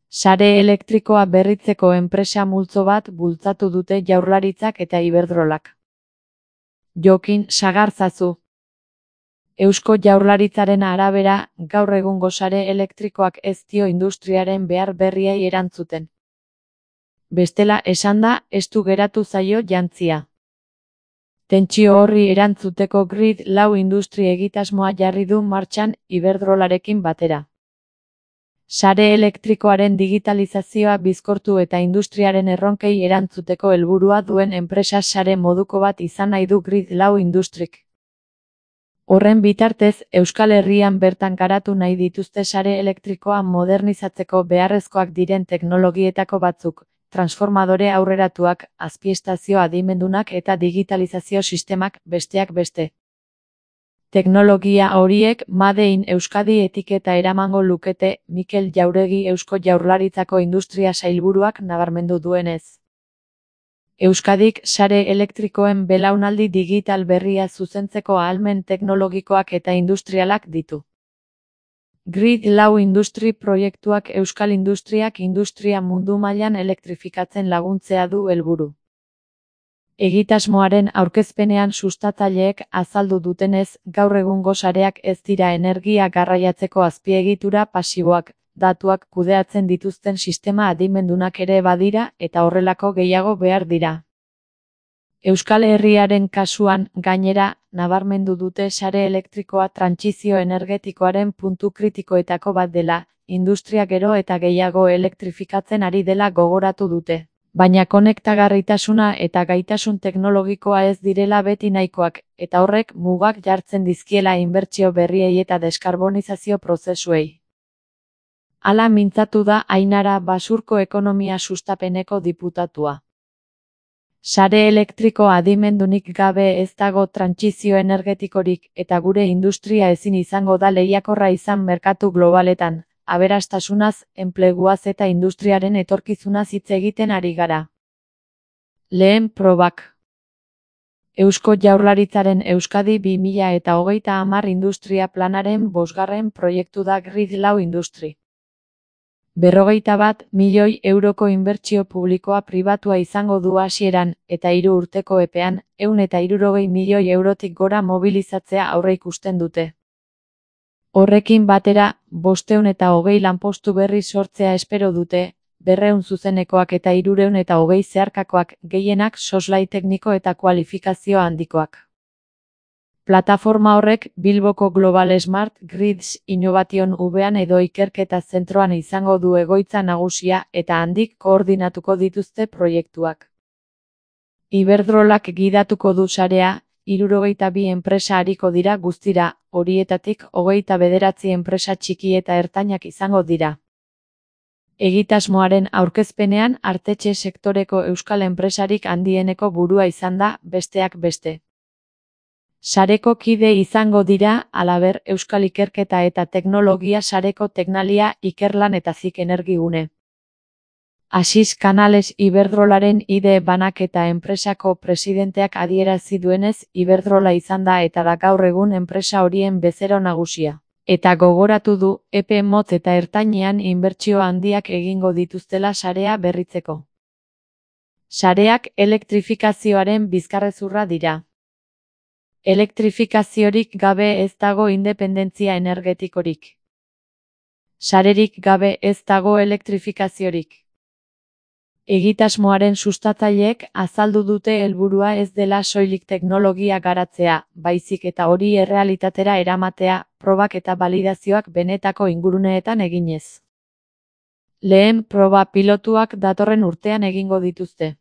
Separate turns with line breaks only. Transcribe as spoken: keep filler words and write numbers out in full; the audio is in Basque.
Sare elektrikoa berritzeko enpresa multzo bat bultzatu dute Jaurlaritzak eta Iberdrolak. Jokin Sagarzazu. Eusko Jaurlaritzaren arabera, gaur egungo sare elektrikoak ez dio industriaren behar berriei erantzuten. Bestela esanda, estu geratu zaio jantzia. Tentsio horri erantzuteko Grid lau industri egitasmoa jarri du martxan Iberdrolarekin batera. Sare elektrikoaren digitalizazioa bizkortu eta industriaren erronkei erantzuteko helburua duen enpresa sare moduko bat izan nahi du Grid lau industrik. Horren bitartez, Euskal Herrian bertan garatu nahi dituzte sare elektrikoa modernizatzeko beharrezkoak diren teknologietako batzuk, transformadore aurreratuak, azpiestazio adimendunak eta digitalizazio sistemak, besteak beste. Teknologia horiek Made in Euskadi etiketa eramango lukete, Mikel Jauregi Eusko Jaurlaritzako Industria Sailburuak nabarmendu duenez. Euskadik sare elektrikoen belaunaldi digital berria zuzentzeko ahalmen teknologikoak eta industrialak ditu. Grid lau industri proiektuak euskal industriak industria mundu mailan elektrifikatzen laguntzea du helburu. Egitasmoaren aurkezpenean sustatzaileek azaldu dutenez, gaur egungo sareak ez dira energia garraiatzeko azpiegitura pasiboak, datuak kudeatzen dituzten sistema adimendunak ere badira eta horrelako gehiago behar dira. Euskal Herriaren kasuan, gainera, nabarmendu dute sare elektrikoa trantsizio energetikoaren puntu kritikoetako bat dela, industria gero eta gehiago elektrifikatzen ari dela gogoratu dute. Baina konektagarritasuna eta gaitasun teknologikoa ez direla beti nahikoak, eta horrek mugak jartzen dizkiela inbertsio berriei eta deskarbonizazio prozesuei. Hala mintzatu da Ainara Basurko ekonomia sustapeneko diputatua. Sare elektriko adimendunik gabe ez dago trantsizio energetikorik eta gure industria ezin izango da lehiakorra izan merkatu globaletan. Aberastasunaz, enpleguaz eta industriaren etorkizunaz hitz egiten ari gara. Lehen probak. Eusko Jaurlaritzaren Euskadi bi mila eta hogeita hamar industria planaren bosgarren proiektu da Grid lau industri. Berrogeita bat milioi euroko inbertsio publikoa pribatua izango du hasieran eta hiru urteko epean, ehun eta hirurogei milioi eurotik gora mobilizatzea aurreikusten dute. Horrekin batera, bostehun eta hogei lanpostu berri sortzea espero dute, berrehun zuzenekoak eta hirurehun eta hogei zeharkakoak, gehienak soslai tekniko eta kualifikazio handikoak. Plataforma horrek Bilboko Global Smart Grids Innovation Hubean edo ikerketa zentroan izango du egoitza nagusia eta handik koordinatuko dituzte proiektuak. Iberdrolak gidatuko du sarea, hirurogeita bi enpresa ariko dira guztira, horietatik hogeita bederatzi enpresa txiki eta ertainak izango dira. Egitasmoaren aurkezpenean artetxe sektoreko euskal enpresarik handieneko burua izan da, besteak beste. Sareko kide izango dira, halaber, Euskal Ikerketa eta Teknologia Sareko Teknalia, Ikerlan eta Zik Energigune. Asis Canales Iberdrolaren ide banaketa enpresako presidenteak adierazi duenez, Iberdrola izan da eta da gaur egun enpresa horien bezero nagusia. Eta gogoratu du, epe motz eta ertainean inbertsio handiak egingo dituztela sarea berritzeko. Sareak elektrifikazioaren bizkarrezurra dira. Elektrifikaziorik gabe ez dago independentzia energetikorik. Sarerik gabe ez dago elektrifikaziorik. Egitasmoaren sustatzaileek azaldu dute helburua ez dela soilik teknologia garatzea, baizik eta hori errealitatera eramatea, probak eta balidazioak benetako inguruneetan eginez. Lehen proba pilotuak datorren urtean egingo dituzte.